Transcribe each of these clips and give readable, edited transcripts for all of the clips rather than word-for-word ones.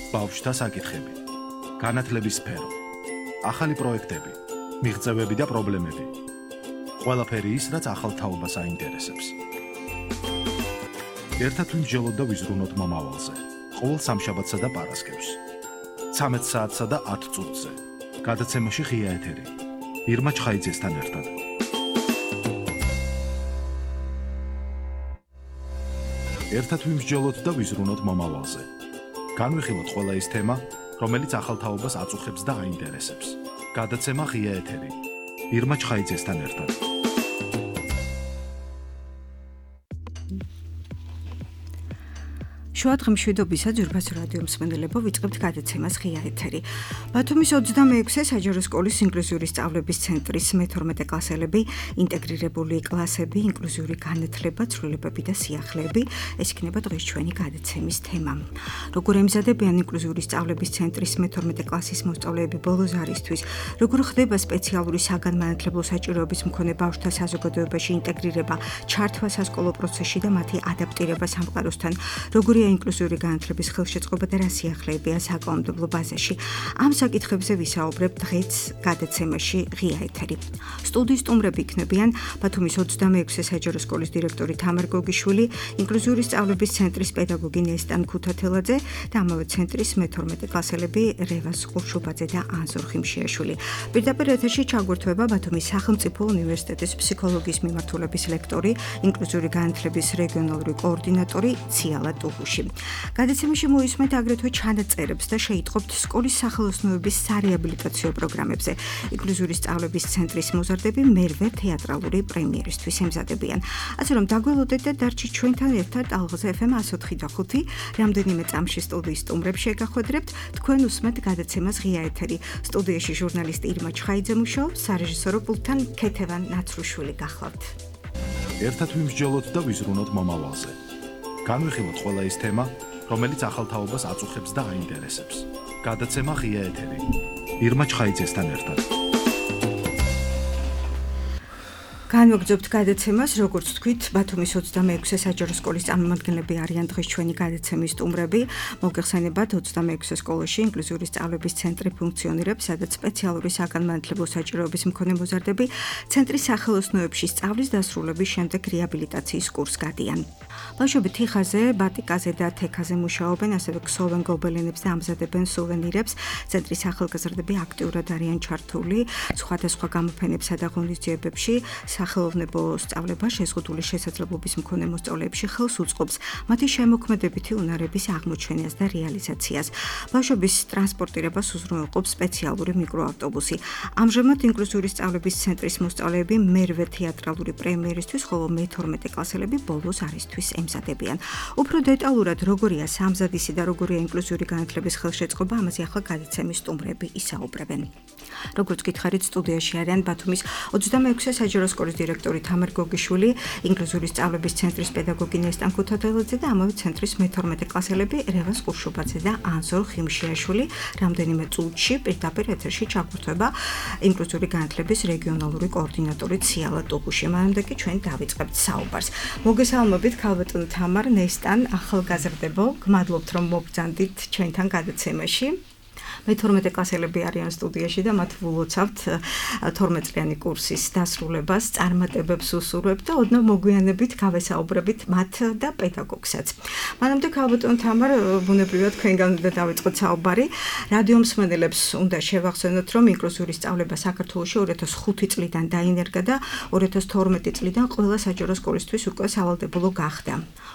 ბავშვთა საკითხები, განათლების სფერო, ახალი პროექტები, მიღწევები და პრობლემები. ყველაფერი ის, რაც ახალ თაობას აინტერესებს. ერთად ვიმსჯელოთ და ვიზრუნოთ მომავალზე. ყოველ სამშაბათსა და პარასკევს. 13 საათსა და 10 წუთზე. გადაცემაში ღია ეთერი. ირმა ჩხაიძესთან ერთად. ერთად ვიმსჯელოთ და ვიზრუნოთ მომავალზე. განვიხილოთ ყველა ის თემა, რომელიც ახალ თაობას აწუხებს და აინტერესებს. გადაცემა ღია ეთერი. ირმა ჩხაიძესთან ერთად. შუადღე მშვიდობისა ძვირფას რადიო მსმენელებო, ვიწყებთ გადაცემას ღია ეთერი. ბათუმის 26-ე საჯარო სკოლის ინკლუზიური სწავლების ცენტრის მე-12 კლასელები, ინტეგრირებული კლასები, ინკლუზიური განათლება, ცვლილებები და სიახლეები, ეს იქნება დღეს ჩვენი გადაცემის თემა. როგორ ემზადებიან ინკლუზიური სწავლების ცენტრის მე-12 კლასის მოსწავლეები ბოლო ზარისთვის, როგორ ხდება სპეციალური საგანმანათლებლო საჭიროების მქონე ბავშვთა საზოგადოებაში ინტეგრირება, ჩართვა სასკოლო პროცესში და მათი ადაპტირება სამყაროსთან, როგორია ინკლუზიური განათლების ხელშეწყობა და რა სიახლეებია საკანონმდებლო ბაზაში. ამ საკითხებზე ვისაუბრებ დღეს გადაცემაში ღია ეთერი. სტუდიის სტუმრები იქნებიან ბათუმის 26-ე საჯარო სკოლის დირექტორი თამარ გოგიშვილი, ინკლუზიური სწავლების ცენტრის პედაგოგი ნესტან ქუთათელაძე და ამავე ცენტრის მე-12 კლასელები რევაზ ყურშუბაძე და ანზორ ხიმშიაშვილი. პირდაპირ ეთერში ჩაგვერთვება ბათუმის სახელმწიფო უნივერსიტეტის ფსიქოლოგიის მიმართულების ლექტორი, ინკლუზიური განათლების რეგიონალური კოორდინატორი ციალა ტუღუში. გადაცემაში მოისმენთ აგრეთვე ჩანაწერებს და შეიტყობთ სკოლის სახელოსნოების სარეაბილიტაციო პროგრამებზე. ინკლუზიური სწავლების ცენტრის მოზარდები მერვე თეატრალური პრემიერისთვის ემზადებიან. ასე რომ დაგველოდეთ და დარჩით ჩვენთან ერთად ალღაზ FM 104.5 რამდენიმე წამში სტუდიის სტუმრებს შეგახვედრებთ. თქვენ უსმენთ გადაცემას ღია ეთერი. სტუდიაში ჟურნალისტი ირმა ჩხაიძე მუშაობს, სარეჟისორო პულტთან ქეთევან ნაცრუშვილი გახლავთ. ერთად ვიმსჯელოთ და ვიზრუნოთ მომავალზე. განვიხილოთ ყველა ის თემა, რომელიც ახალ თაობას აწუხებს და აინტერესებს. გადაცემა ღია ეთერი. ირმა ჩხაიძესთან ერთად. განვაგრძობთ გადაცემას, როგორც თქვით, ბათუმის 26-ე საჯარო სკოლის წარმომადგენლები არიან დღეს ჩვენი გადაცემის სტუმრები. მოგეხსენებათ, 26-ე სკოლაში ინკლუზიური სწავლების ცენტრი ფუნქციონირებს, სადაც სპეციალური საგანმანათლებლო საჭიროების მქონე მოზარდები ცენტრის სახელოსნოებში სწავლის დასრულების შემდეგ რეაბილიტაციის კურსს გადიან. ბავშვები თიხაზე, ბატიკაზე და თექაზე მუშაობენ, ასევე ქსოვენ გობელენებს და ამზადებენ სუვენირებს. ცენტრის ახალგაზრდები აქტიურად არიან ჩართული სხვადასხვა გამოფენებსა და ღონისძიებებში. სახელოვნებო სწავლება შეზღუდული შესაძლებლობის მქონე მოსწავლეებში ხელს უწყობს მათი შემოქმედებითი უნარების აღმოჩენას და რეალიზაციას. ბავშვების ტრანსპორტირებას უზრუნველყოფს სპეციალური მიკროავტობუსი. ამჟამად ინკლუზიური სწავლების ცენტრის მოსწავლეები მერვე თეატრალური პრემიერისთვის, ხოლო მე-12 კლასელები ბოლო ზარისთვის ემზადებიან. უფრო დეტალურად როგორია სამზადისი და როგორია ინკლუზიური განათლების ხელშეწყობა, ამაზე ახლა გადაცემის სტუმრები ისაუბრებენ. როგორც გითხარით, სტუდიაში არიან ბათუმის 26-ე საჯარო სკოლის დირექტორი თამარ გოგიშვილი, ინკლუზიური სწავლების ცენტრის პედაგოგი ნესტან ქუთათელაძე და ამავე ცენტრის მე-12 კლასელები რევაზ ყურშუბაძე და ანზორ ხიმშიაშვილი. რამდენიმე წუთში პირდაპირ ეთერში ჩაგვერთვება ინკლუზიური განათლების რეგიონალური კოორდინატორი ციალა ტუღუში. მანამდე კი ჩვენ დავიწყებთ საუბარს. მოგესალმებით, ქალბატონო თამარ, ნესტან, ახალგაზრდებო, გმადლობთ რომ მოგბრძანდით ჩვენთან გადაცემაში. მე-12 კლასელები არიან სტუდიაში და მათ ვლოცავთ 12 წლიანი კურსის დასრულებას, წარმატებებს უსურვებთ და ოდნავ მოგვიანებით გავესაუბრებით მათ და პედაგოგსაც. მანამდე ქალბატონო თამარ, ბუნებრივად თქვენგან უნდა დავიწყოთ საუბარი. რადიო მსმენელებს უნდა შევახსენოთ, რომ ინკლუზიური სწავლება საქართველოში 2005 წლიდან დაინერგა და 2012 წლიდან ყველა საჯარო სკოლისთვის უკვე სავალდებულო გახდა.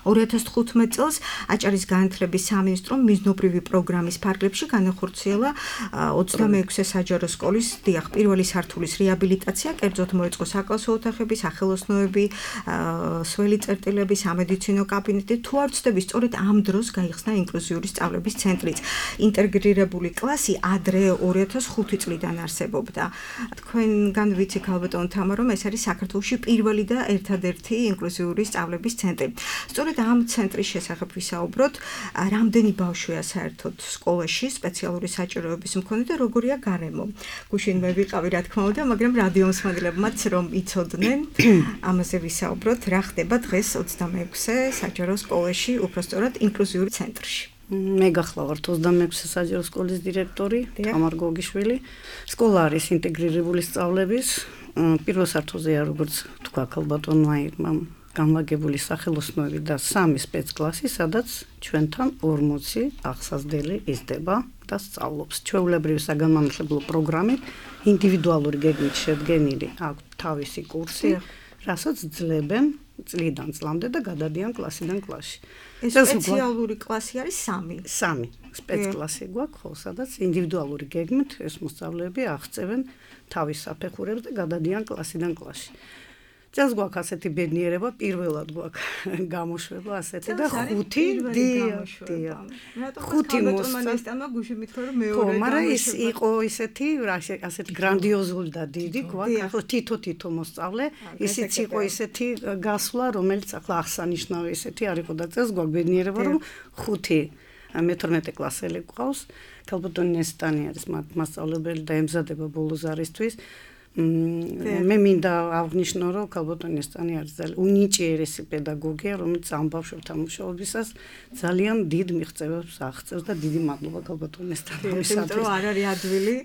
2015 წელს აჭარის განათლების სამინისტრომ მიზნობრივი პროგრამის ფარგლებში განახორციელა 26-ე საჯარო სკოლის პირველი სართულის რეაბილიტაცია, კერძოდ მოეწყო საკლასო ოთახები, სახელოსნოები, სველი წერტილები, სამედიცინო კაბინეტი. თუ არ ვცდები, სწორედ ამ დროს გაიხსნა ინკლუზიური სწავლების ცენტრიც. ინტეგრირებული კლასი ადრე 2005 წლიდან არსებობდა. თქვენგან ვიცი ქალბატონო თამარ, რომ ეს არის საქართველოში პირველი და ერთადერთი ინკლუზიური სწავლების ცენტრი. სწორედ ამ ცენტრის შესახებ ვისაუბროთ, რამდენი ბავშვია საერთოდ სკოლაში სპეციალური საჭიროების მქონე და როგორია გარემო. გუშინ მე ვიყავი, რა თქმა უნდა, მაგრამ რადიო მსმენელებმაც რომ იცოდნენ, ამაზე ვისაუბროთ, რა ხდება დღეს 26-ე საჯარო სკოლაში, უпростоრად ინკლუზიური ცენტრში. მე გახლავართ 26 საჯარო სკოლის დირექტორი თამარ გოგიშვილი. სკოლა არის ინტეგრირებული სწავლების პირველ სართულზეა, როგორც თქვა ქალბატონმა განლაგებული სახელოსნოები და 3 სპეცკლასი, სადაც ჩვენთან 40 აღსაზრდელი იზრდება და სწავლობს. ჩვეულებრივი საგანმანათლებლო პროგრამით ინდივიდუალური გეგმით შედგენილი აქვს თავისი კურსი, რასაც ძლებენ წლიდან წლამდე და გადადიან კლასიდან კლასში. სპეციალური კლასი არის 3. 3 სპეცკლასი გვაქვს, ხო, სადაც ინდივიდუალური გეგმით ეს მოსწავლეები აღწევენ თავის საფეხურებს და გადადიან კლასიდან კლასში. წელს გვაქვს ასეთი ბედნიერება, პირველად გვაქვს გამოშვება ასეთი და 5 მოსწავლეებმა გუშინ მითხრა რომ მეორე გამოშვება. მაგრამ ის იყო ასეთი გრანდიოზული და დიდი გვაქვს, ახლა თითო მოსწავლე, ისიც იყო ისეთი გასვლა, რომელიც ახლა აღსანიშნავი ისეთი არ იყო და წელს გვაქვს ბედნიერება, რომ 5 მე-12 კლასელი გვყავს. ქალბატონი ნესტანი არის მასწავლებელი და ემზადება ბოლო ზარისთვის. მე მინდა აღნიშნო, რომ ქალბატონი ნესტანი არის ძალიან უნიჭიერესი პედაგოგია, რომელიც ამ ბავშვებთან მუშაობისას ძალიან დიდ მიღწევებს აღწევს და დიდი მადლობა ქალბატონი ნესტანისათვის. იმიტომ რომ არ არის ადვილი.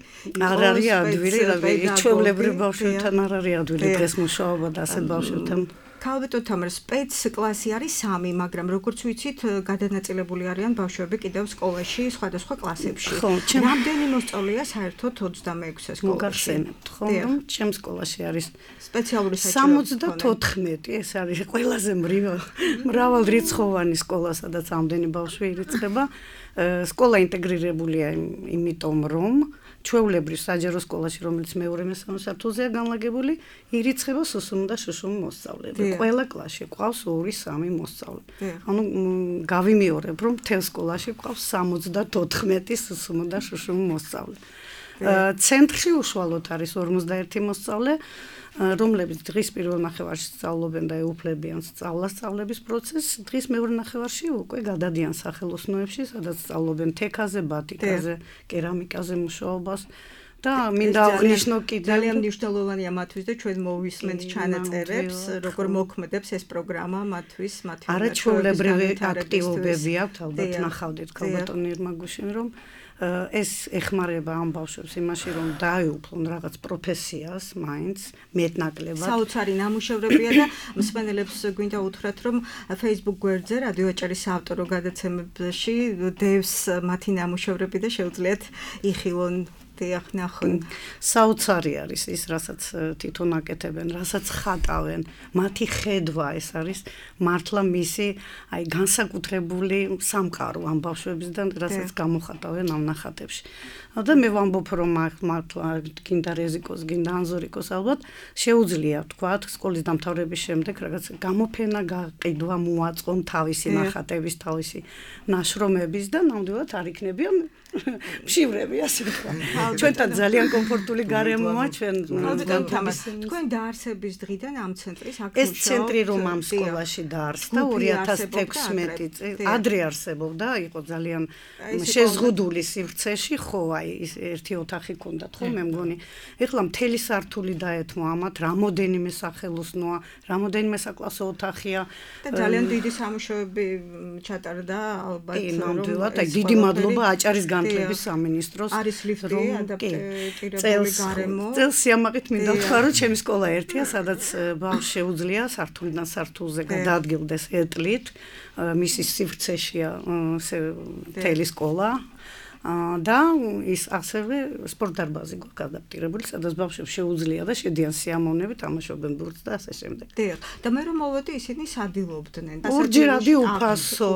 არ არის ადვილი, ჩვეულებრივ ბავშვებთან არ არის ადვილი დღეს მუშაობა და ასეთ ბავშვებთან. ქალბატონ თამარ, სპეცკლასი არის 3, მაგრამ როგორც ვიცით, გადანაწილებული არიან ბავშვები კიდევ სკოლაში, სხვადასხვა კლასებში. რამდენი მოსწავლეა საერთოდ 26-ე სკოლაში? მოგახსენებთ, ხო, რომ ჩემ სკოლაში არის სპეციალური საჭიროება 74, ეს არის ყველაზე მრავალრიცხოვანი სკოლა, სადაც ამდენი ბავშვი ირიცხება. სკოლა ინტეგრირებულია იმიტომ, რომ ჩვეულებრივ საჯარო სკოლაში, რომელიც მეორე-მესამე სართულზეა განლაგებული, ირიცხება სუსუმ და შუშუმ მოსწავლეები. ყველა კლასში ყავს 2-3 მოსწავლე. ანუ გავიმეორებ, რომ მთელ სკოლაში ყავს 74 სუსუმ და შუშუმ მოსწავლე. ცენტრში უშუალოდ არის 51 მოსწავლე, რომლებიც დღის პირველ ნახევარში სწავლობენ და ეუფლებიან სწავლების პროცესს, დღის მეორე ნახევარში უკვე გადადიან სახელოსნოებში, სადაც სწავლობენ თექაზე, ბატიკაზე, კერამიკაზე მუშაობას. და მინდა აღნიშნო კიდევ ძალიან მნიშვნელოვანია მათთვის და ჩვენ მოვისმენთ ჩანაწერებს, როგორ მოქმედებს ეს პროგრამა მათთვის, არაჩვეულებრივი აქტივობები აქვს, ალბათ ნახავდით ქალბატონი ირმაგუშინ, რომ ეს ეხმარება ამ ბავშვებს იმაში, რომ დაეუფლონ რაღაც პროფესიას, მაინც მეტნაკლებად. საოცარი ნამუშევრებია და მსმენელებს გვინდა უთხრათ, რომ Facebook გვერდზე რადიო აჭარის საავტორო გადაცემებში დევს მათი ნამუშევრები და შეუძლიათ იხილონ. საოცარი არის ის, რასაც თვითონ აკეთებენ, რასაც ხატავენ, მათი ხედვა ეს არის მართლა მისი განსაკუთრებული სამყარო ამ ბავშვებისგან, რასაც გამოხატავენ ამ ნახატებში. და მე ვამბობ, რომ მართლა გინდა რეზიკოს, გინდა ანზორიკოს ალბათ შეუძლია თქვათ სკოლის დამთავრების შემდეგ რაღაც გამოფენა, გაყიდვა, მოაწყონ თავისი ნახატების, თავისი ნაშრომების და ნამდვილად არ იქნებიან მშივრები, ასე ვთქვა. ჩვენთან ძალიან კომფორტული გარემოა, თქვენ დაარსების დღიდან ამ ცენტრის აქ ეს ცენტრი რომ ამ სკოლაში დაარსდა 2016 წელს, ადრე არსებობდა, იყო ძალიან შეზღუდული სივრცეში, ხო, ის ერთი ოთახი ჰქონდათ, ხო, მე მგონი. ეხლა მთელი სართული დაეთმო ამათ, რამოდენიმე სახელოსნოა, რამოდენიმე საკლასო ოთახია და ძალიან დიდი სამუშაოები ჩატარდა ალბათ. ნამდვილად, დიდი მადლობა აჭარის განათლების სამინისტროს, არის ლიფტი ადაპტირებული გარემო. წელს სიამაყით მინდა ვთქვა, რომ ჩემი სკოლა ერთია, სადაც ბავშვს შეუძლია სართულიდან სართულზე გადაადგილდეს ეტლით, მისი სივრცეშია მთელი სკოლა. და ის ასევე სპორტ დარბაზი გვაქვს ადაპტირებული, სადაც ბავშვებს შეუძლია და შედიან სიამოვნები, თამაშობენ ბურთს და ასე შემდეგ. დიახ, და მე რომ მოვედი, ისინი სადილობდნენ. ორჯერადი უფასო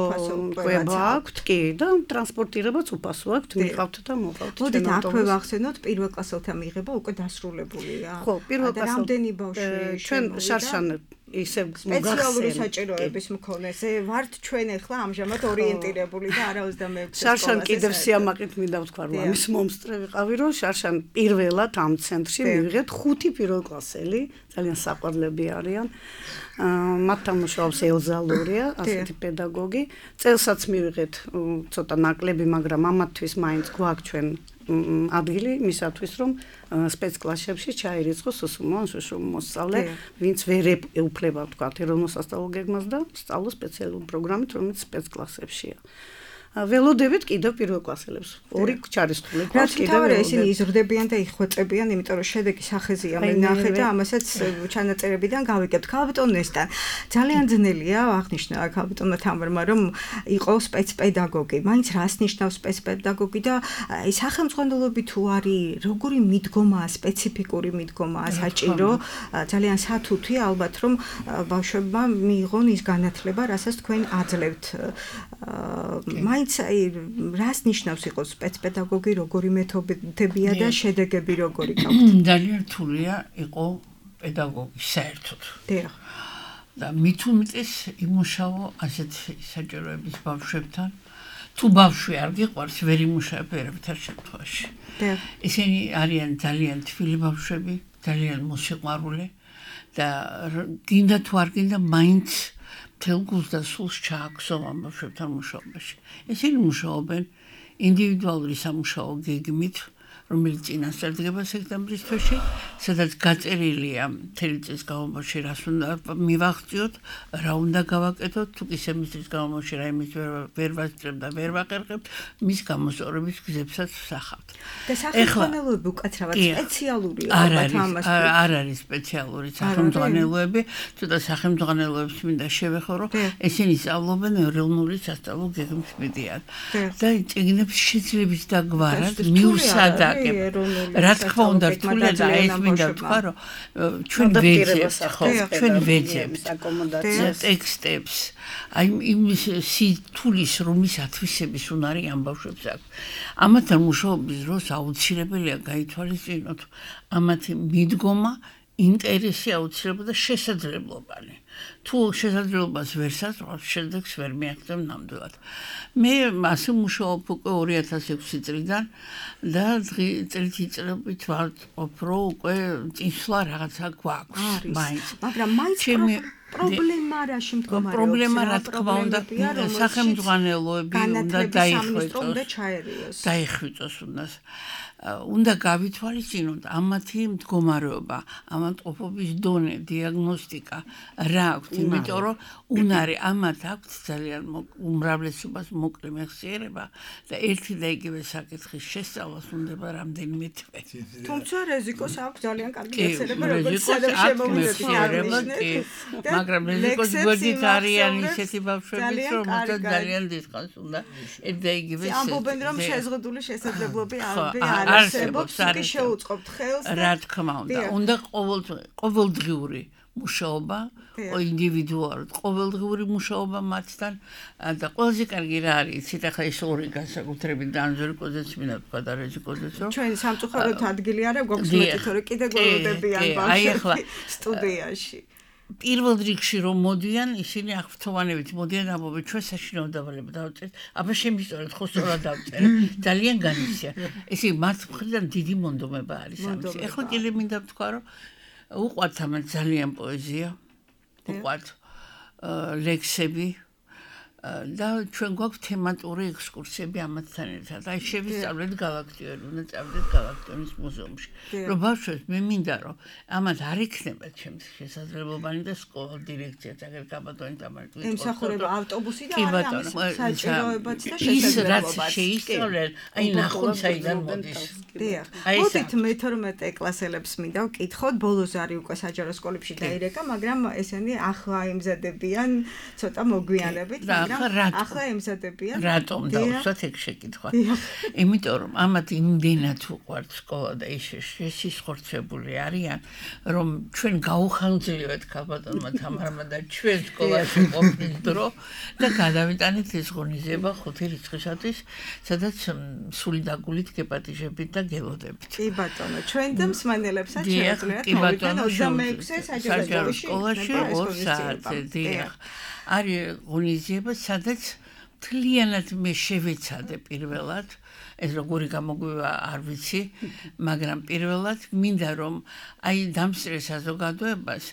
კვება აქვთ, კი, და ტრანსპორტირებაც უფასო აქვთ, მიყავთ და მოყავთ. მოდით აქვე ვახსენოთ, პირველ კლასელთა მიღება უკვე დასრულებულია. ხო, პირველ კლასელთა. რამდენი ბავშვი ჩვენ შარშან ისე სპეციალური საჭიროების მქონეზე ვართ ჩვენ ახლა ამჟამად ორიენტირებული და არა 26 შარშან კიდევ სიამაყით მინდა ვთქვა, რომ ამის მომსწრე ვიყავი, რომ შარშან პირველად ამ ცენტრში მივიღეთ 5 პირველკლასელი, ძალიან საყვარლები არიან. მათთან მუშაობს ელზა ლურია, ასეთი პედაგოგი. წელსაც მივიღეთ ცოტა ნაკლები, მაგრამ ამათთვის მაინც გვაქვს ჩვენ ადგილი მისათვის, რომ სპეცკლასებში ჩაირიცხოს სუსუმო ან შუშუმო მოსწავლე, ვინც ვერ ეუფლება, თქვათ, ეროვნულ სასწავლო გეგმას და სწავლობს სპეციალური პროგრამით, რომელიც სპეცკლასებშია. ველოდებით კიდევ პირველ კლასელებს. ორი ჩარისხული რაც თავარია ისინი იზრდებიან და იხოწებიან, იმიტომ რომ შედეგი სახეზია მე ნახე და ამასაც ჩანაწერებიდან გავიგებთ. ქალბატონ ნესტან ძალიან ძნელია აღნიშნა ქალბატონმა თამარმა რომ იყო სპეცპედაგოგი. მაინც რას ნიშნავს სპეცპედაგოგი და აი სახელმძღვანელოები თუ არის როგორი მიდგომაა, სპეციფიკური მიდგომაა საჭირო, ძალიან სათუთი ალბათ რომ ბავშვებმა მიიღონ ის განათლება, რასაც თქვენ აძლევთ. მაინც აი რას ნიშნავს იყოს სპეცპედაგოგი, როგორი მეთოდებია და შედეგები როგორი გაქვთ? ძალიან რთულია იყო პედაგოგი საერთოდ. დიახ. და მით უმეტეს იმუშაო ასეთ საჭიროების ბავშვებთან. თუ ბავშვი არ გიყვარს, ვერ იმუშავებ ერებთან შემთხვევაში. ისინი არიან ძალიან თბილი ბავშვები, ძალიან მოსიყვარული და გინდა თუ არ გინდა მაინც მთელ გულს და სულს ჩააგზავნა ამ ბავშვებთან მუშაობაში. ისინი მუშაობენ ინდივიდუალური სამუშაო გეგმით, რომელიც წინასწარ დგება სექტემბრის თვეში, სადაც გაწერილია მთელი წლის განმავლობაში რას უნდა მივახციოთ, რა უნდა გავაკეთოთ, თუ კი სემესტრის განმავლობაში რაიმეს ვერ ვასწრებ და ვერ ვაყერხებ, მის გამოსწორების გზებსაც ვსახავთ. და სახელმძღვანელოები უკაცრავად სპეციალურია ალბათ ამას. არ არის სპეციალური სახელმძღვანელოები, თუმცა სახელმძღვანელოებს მინდა შევეხო, რომ ესენი სწავლობენ ეროვნული სასწავლო გეგმის მიდიან. და წიგნებს შეძლებს დაგვარად მიუსადაკ რა თქმა უნდა რთულია და ეს მინდა ვთქვა რომ ჩვენ ვეძებთ ტექსტებს აი იმის სიტულის რომის ათვისების უნარი ამ ბავშვებს აქვს ამათთან მუშაობის დროს აუცილებელია გაითვალისწინოთ ამათი მიდგომა ინტერესი აუცილებლად და შესაძლებლობანი თუ შესაძლებლობას ვერ საზღვავს შედეგს ვერ მიაღწევ ნამდვილად მე ასე მუშაობ უკვე 2006 წლიდან და წელიწადობით ვარყოფ რომ უკვე წინსვლა რაღაცა გვაქვს მაინც მაგრამ მაინც პრობლემა რაში მდგომარეობს პრობლემა რა თქმა უნდა სახელმძღვანელოები უნდა დაიხვიწოს უნდა გავითვალისწინოთ ამათი მდგომარეობა, ამატყოფობის დონე, დიაგნოსტიკა რა აქვთ, იმიტომ რომ უნარი ამათ აქვთ ძალიან უმრავლესობას მოკლე მეხსიერება და ერთი და იგივე საკითხის შესწავლას უნდება რამდენიმე თვე. თუმცა რეზიკოს აქვს ძალიან კარგი მეხსიერება, როგორც შემოგვიწყდა, მაგრამ რეზიკოს გვერდით არიან ისეთი ბავშვები, რომელსაც ძალიან დიდხანს უნდა ერთ და იგივე ამბობენ რომ შეზღუდული შესაძლებლობები არსებობს, კი შეუწყობთ ხელს და რა თქმა უნდა, ყოველდღიური მუშაობა, ინდივიდუალურად ყოველდღიური მუშაობა მათთან და ყველაზე კარგი რა არის, იცით ახლა ეს ორი განსაკუთრებით დანზორიკოზეც მინდა თქვა და რეზიკოზეც რომ ჩვენ სამწუხაროდ ადგილი არა გვაქვს მეტი, თორე კიდე გველოდებიან ბავშვები სტუდიაში. პირველ რიგში რომ მოდიან, ისინი აღფრთოვანებით მოდიან ამბობენ ჩვენ საშინაო დავალება დავწერთ. აბა შემისწორეთ ხო სწორად დავწერე. ძალიან განიცია. ესე მათ მხრიდან დიდი მონდომება არის ამის. ეხლა კიდე მინდა ვთქვა რომ უყვართ ამათ ძალიან პოეზია. უყვართ ლექსები და ჩვენ გვაქვს თემატური ექსკურსიები ამათთან ერთად. აი შევისწავლეთ გალაქტიონი, უნდა წავიდეთ გალაქტიონის მუზეუმში. რომ ბავშვებს მე მინდა რომ ამათ არ იქნება ჩემს შესაძლებლობანი და სკოლა დირექციაც აგერ გაბატონი თამარი ემსახურება ავტობუსი და არის საჭიროებაც და შესაძლებლობაც. შეისწავლენ, აი ნახონ საიდან მოდის. დიახ. მოდით მე-12 კლასელებს მინდა ვკითხოთ, ბოლოს არის უკვე საჯარო სკოლებში დაირეკა, მაგრამ ესენი ახლა ემზადებიან ცოტა მოგვიანებით. ახლა ემზადებიან. რატომ დავუსვათ ეგ შეკითხვა? იმიტომ რომ ამათ იმდენად უყვართ სკოლა და ის სისხორცებული არიან, რომ ჩვენ გაუხანძილივეთ ქალბატონმა თამარმა და ჩვენ სკოლაში ყოფნის დრო და გადავიტანეთ ეს ღონისძიება 5 რიცხვისათვის, სადაც სული დაგულით გეპატიჟებით და გელოდებით. კი ბატონო, ჩვენ და მსმენელებსაც შეუძლიათ მოვიდნენ 26 საჯარო სკოლაში 2 საათზე. დიახ. არის ღონისძიება, სადაც მთლიანად მე შევეცადე პირველად, ეს როგორი გამოგვივა არ ვიცი, მაგრამ პირველად მინდა რომ აი დამსწრე საზოგადოებას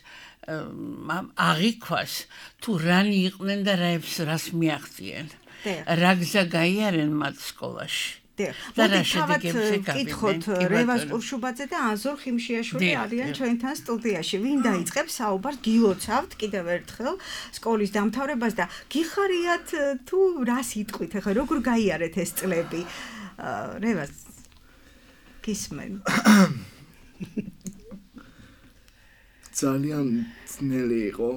აღიქვას თუ რანი იყვნენ და რას მიაღწიენ. რა გზა გაიარენ მათ სკოლაში. მოდით თავად ვკითხოთ რევაზ ყურშუბაძე და ანზორ ხიმშიაშვილი არიან ჩვენთან სტუდიაში. ვინ დაიწყებს საუბარს? გილოცავთ კიდევ ერთხელ სკოლის დამთავრებას და გიხარიათ თუ რას იტყვით? ახლა როგორ გაიარეთ ეს წლები? რევაზ გისმენ. ძალიან ძნელი იყო.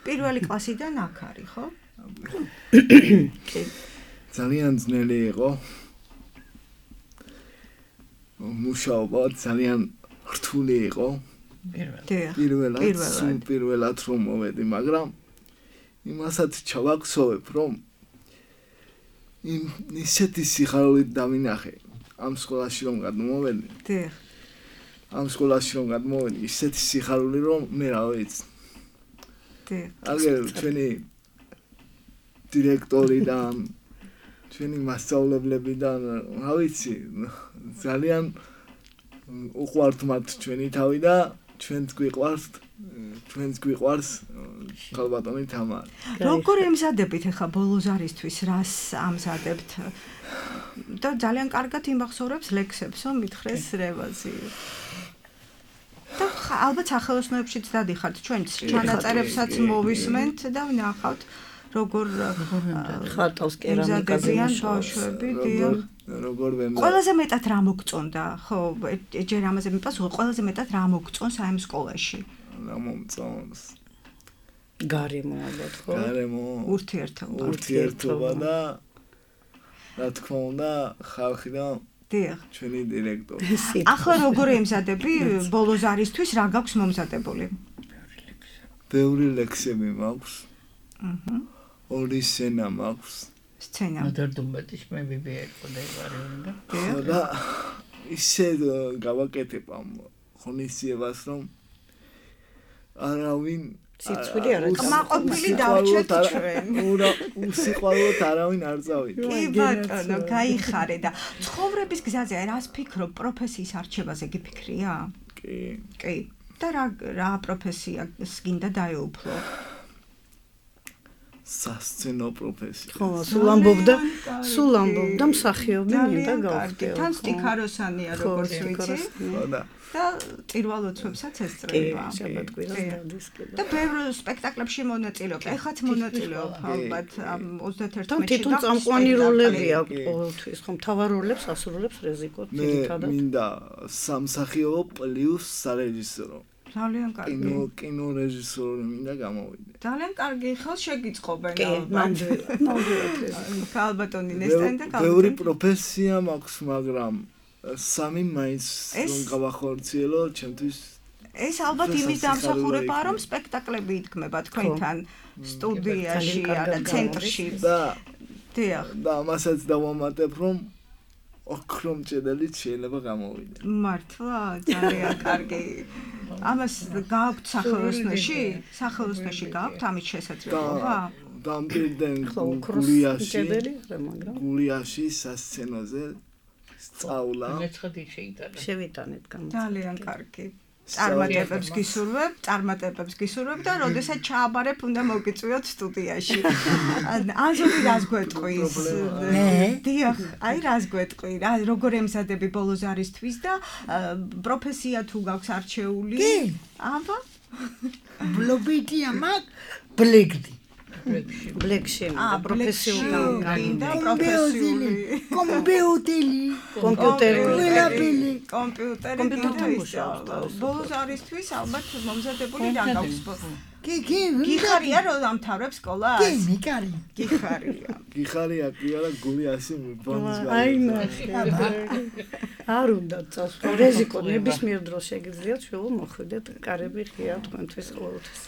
პირველი კლასიდან აქ არის, ხო? ძალიან ძნელი იყო. მუშაობა ძალიან რთული იყო. პირველად რომ მოვედი, მაგრამ იმასაც ჩავაქსოვებ, რომ ისეთი სიხარულით დავინახე ამ სკოლაში რომ გადმოვედი. ამ სკოლაში რომ გადმოვედი, ისეთი სიხარული რომ მე რა ვიცი. აგერ ჩვენი დირექტორიდან, ჩვენი მასწავლებლებიდან, რა ვიცი, ძალიან უყვართ მათ ჩვენი თავი და ჩვენც გვიყვარს ქალბატონი თამარი. როგორ ემზადებით ახლა ბოლოზარისთვის, რას ამზადებთ? და ძალიან კარგად იმახსოვრებს ლექსებსო, მითხრეს რევაზი. და ალბათ სახელოსნოებშიც დადიხართ, ჩვენ ჩანაწერებსაც მოვისმენთ და ვნახავთ როგორ ხატავს კერამიკაზე ბავშვები, როგორ ვემზადებ. ყველაზე მეტად რა მოგწონდა? ხო, ჯერ ამაზე მიპასუხე, ყველაზე მეტად რა მოგწონს აი ამ სკოლაში? რა მომწონს? გარემო ალბათ, ხო? გარემო. ურთიერთობა და რა თქმა უნდა, ხალხი და ჩვენი დირექტორი. ახლა როგორ ემზადები ბოლოზარისთვის, რა გაქვს მომზადებული? ბევრი ლექსები მაქვს. ორი სცენა მაქვს. სცენა. მოდერდუმბეთის მე ბიბიერი და და ისე გავაკეთებ ამ ღონისძიებას, რომ არავინ სიცხვილი არ აქვს. მაყოფილი დავჭერთ ჩვენ. უსიყვარულოდ არავინ არ წავიდა. კი ბატონო, გაიხარე და ცხოვრების გზაზე რას ფიქრობ? პროფესიის არჩევაზე გიფიქრია? კი. და რა პროფესიას გინდა დაეუფლო? სასცენო პროფესია. ხო, სულ ამბობდა მსახიობი მინდა გავხდეო. თან სტიქაროსანია როგორც ვიცი. და პირველ ლოცვებსაც ესწრება. და ბევრ სპექტაკლებში მონაწილეობ. ეხლაც მონაწილეობ ალბათ ამ 31 თან თვითონ წამყვანი როლები აქვს ყოველთვის, ხო, მთავარ როლებს ასრულებს რეზიკო თითქოს. მინდა სამსახიობო პლუს სარეჟისორო. ძალიან კარგი. კინო რეჟისორი მინდა გამოვიდე. ძალიან კარგი, ხელ შეგიწყობენ ალბათ. ქალბატონი ნესტანი და ქალბატონი. ბევრი პროფესია მაქვს, მაგრამ სამი მაინც რომ გავახორციელო, ჩემთვის ეს ალბათ იმის დამსახურებაა, რომ სპექტაკლები იდგმება თქვენთან სტუდიაში და ცენტრში. და ამასაც დავამატებ, რომ ოქრომჭედელიც შეიძლება გამოვიდე. მართლა, ძალიან კარგი. ამას გააქვთ სახელოსნოში? სახელოსნოში გააქვთ ამის შესაძლებლობა? დამპირდნენ გულიაში სასცენოზე სწავლა. შევიტანეთ გამო. ძალიან კარგი. წარმატებებს გისურვებ და როდესაც ჩააბარებ უნდა მოგიწვიოთ სტუდიაში. ანზორი რას გვეტყვის? დიახ, აი რას გვეტყვი? როგორ ემზადები ბოლოზარისთვის და პროფესია თუ გაქვს არჩეული? აბა? ბლობიტია მაგ ბლეკდი. ბლეკში პროფესიული კომპიუტერი ბოლოზარისთვის ალბათ მომზადებული რა გაქვს? გიხარია რომ დამთავრებ სკოლას? გიხარია კი არა გულიაში ბონის გა. აი არ უნდა წასვლა რეზიკო ნებისმიერ დროს შეგიძლიათ შევო მოხვიდეთ კარები ღია თქვენთვის ყოველთვის.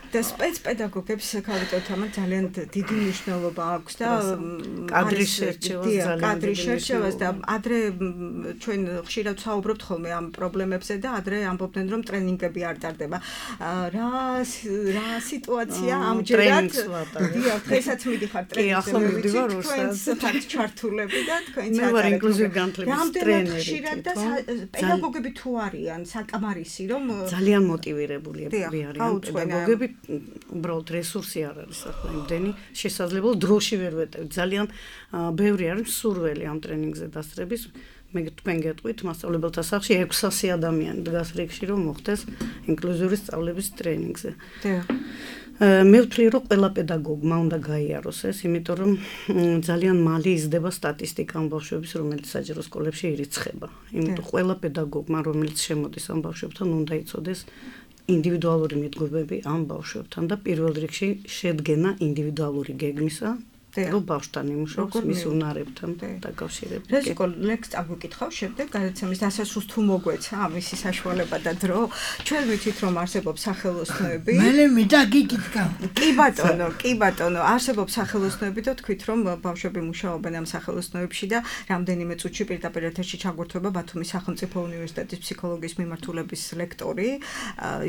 და სპეცპედაგოგებს ქალბატონთან ძალიან დიდი მნიშვნელობა აქვს და კადრის შერჩევას და ადრე ჩვენ ხშირად ვსაუბრობთ ხოლმე ამ პრობლემებზე და ადრე ამბობდნენ რომ ტრენინგები არ ტარდება. რა სიტუაცია ამჯერად? დიახ, დღესაც მიდიხარ ტრენინგებზე. თქვენს ჩართულები და თქვენს მე ვარ ინკლუზიური განათლების ტრენერი. ხშირად და პედაგოგები თუ არიან საკამარისი რომ ძალიან მოტივირებულები არიან პედაგოგები უბრალოდ რესურსი არ არის ახლა იმდენი შესაძლებლო დროში ვერ ვეტევთ. ძალიან ბევრი არის მსურველი ამ ტრენინგზე დასწრების. მე თქვენ გეტყვით მასწავლებელთა სახლში 600 ადამიანი დგას რიგში რომ მოხდეს ინკლუზიური სწავლების ტრენინგზე. მე ვთვლი რომ ყველა პედაგოგმა უნდა გაიაროს ეს, იმიტომ რომ ძალიან მალე იზრდება სტატისტიკა ამ ბავშვების, რომელიც საჯარო სკოლებში ირიცხება. იმიტომ ყველა პედაგოგმა, რომელიც შემოდის ამ ბავშვებთან, უნდა იცოდეს ინდივიდუალური მიდგომები ამ ბავშვებთან და პირველ რიგში შედგენა ინდივიდუალური გეგმისა. რომ ბავშვთან იმუშაოს მის უნარებთან დაკავშირებით. რეზიკო ლექს წაგვიკითხავ შემდეგ გადაცემის დასასრულს თუ მოგვეცა ამისი საშუალება და დრო. ჩვენ ვიცით რომ არსებობს სახელოსნოები. მე მიტაკიკითხავ. კი ბატონო, არსებობს სახელოსნოები და თქვით რომ ბავშვები მუშაობენ ამ სახელოსნოებში და რამდენიმე წუთში პირდაპირ ეთერში ჩაგვერთვება ბათუმის სახელმწიფო უნივერსიტეტის ფსიქოლოგიის მიმართულების ლექტორი,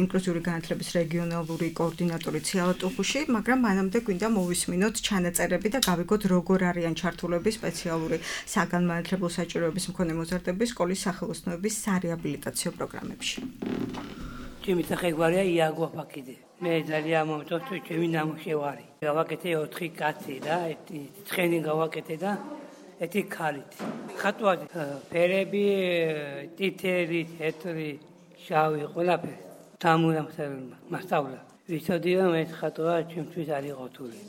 ინკლუზიური განათლების რეგიონალური კოორდინატორი ციალა ტუფუში, მაგრამ მანამდე გვინდა მოვისმინოთ ჩანაწერები და გავიგოთ როგორ არიან ჩართულები სპეციალური საგანმანათლებლო საჭიროების მქონე მოზარდების სკოლის სახელოსნოების სარეაბილიტაციო პროგრამებში. ჩემი სახე გვარია იაგო ფაკიძე. მე ძალიან მომწონს ჩემი ნამუშევარი. გავაკეთე 4 კაცი და ერთი ცხენი გავაკეთე და ერთი ქალით. ხატვად ფერები, ტიტერი, თეთრი, შავი, ყველაფერი. დამურამსებელმა მასწავლა. ვიცოდი რომ ეს ხატვა ჩემთვის არის ყოთული.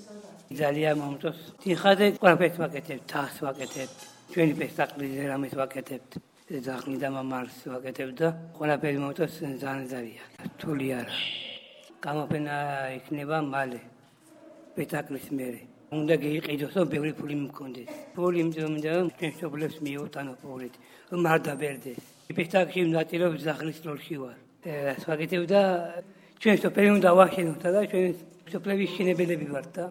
ძალიან მომწონს. თიხაზე ყველაფერს ვაკეთებ, თავს ვაკეთებ, ჩვენი სპექტაკლის რამეს ვაკეთებთ. ზაღლი და მამარს ვაკეთებ და ყველაფერი მომწონს ძალიან. რთული არა. გამოფენა იქნება მალე. სპექტაკლის მერე. უნდა გიყიდოს რომ ბევრი ფული მქონდეს. ფული მინდა რომ ჩვენ შობლებს მიუტანო ფულით. რომ არ დაბერდეს. სპექტაკლში ვნაწილობ ზაღლის როლში ვარ. ეს ვაკეთებ და ჩვენ სოფელი უნდა ვაშენოთ და ჩვენ სოფლების შენებელები ვართ და